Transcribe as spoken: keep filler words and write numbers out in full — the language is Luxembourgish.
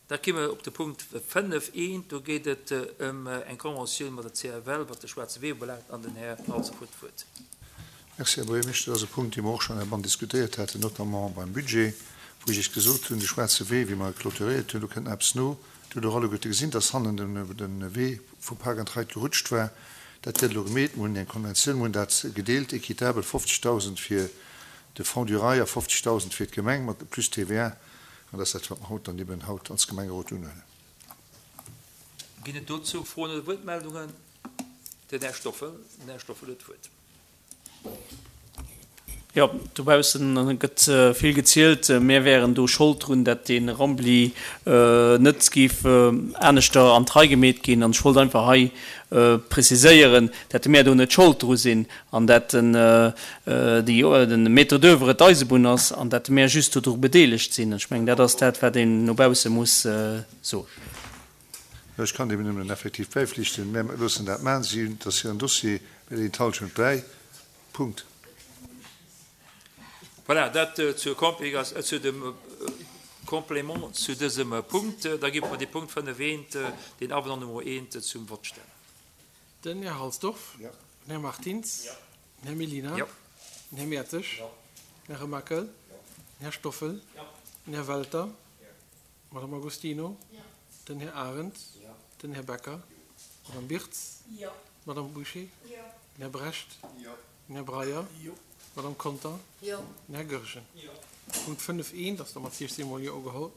Da komme mer op de Punkt fënnef eent. Do geet et ëm eng Conventioun mat der C F L, wat de Schwaarze Wee ubelaangt, an den Här Halsdorf huet d'Wuert. Merci, Här Buergermeeschter. Dat ass e Punkt, dee mer och schonn heibann diskutéiert haten, notamment beim Budget, wou ech Iech gesot hunn, de Schwaarze Wee, wéi mer e clôturéiert hunn, do kënnt nach eppes no. Dir hutt och alleguerte gesinn, dass hannen de Wee vum Park and Ride gerutscht war. Dat gëtt elo gemeet. Mer hunn eng Konventioun, mer hunn dat gedeelt, équitabel, fofzegdausend fir de Fonds du Rail a fofzegdausend fir d'Gemeng mat plus T V A. An dat ass dat, wat mer haut dann eben haut als Gemengerot unhuelen. Ginn et dozou Froen oder Wuertmeldungen? Den Här Stoffel, den Här Stoffel huet d'Wuert. Jo, dobaussen gëtt vill gezielt, mir wären do Schold drun, dat dee Rambli net géif aneschter an d'Rei gemeet ginn. An ech wollt einfach hei preziséieren, dat mir do net Schold dru sinn an dat den de Maître d'oeuvre d'Eisebunn ass an dat mir just dodru bedeelegt sinn. Ech mengen, dat ass dat, wat een no bausse muss soen. Ech kann deem nëmmen effektiv bäiflichten. Mir loossen dat maachen. Si hunn, dat ass hiren Dossier, mir leeën d'Hallschent bäi. Punkt. Voilà, dat zur Complément, zu dem Complément zu dësem Punkt. Da gi mer de Punkt fënnef eent, den Avenant Nummer eent zum Vott stellen. Den Här Halsdorf. Jo. Den Här Martins. Jo. Den Här Mellina. Jo. Den Här Mertzig. Jo. Den Här Remakel. Jo. Den Här Stoffel. Jo. Den Här Welter. Jo. Madame Agostino. Jo. Den Här Arendt. Jo. Den Här Becker. Madame Birtz. Jo. Madame Bouché. Jo. Den Här Brecht. Jo. Den Här Breyer. Jo. Madame Conter. Jo. Den Här Goergen. Jo. Punkt fënnef eent ass da mat siechzéng Mol Jo ugeholl.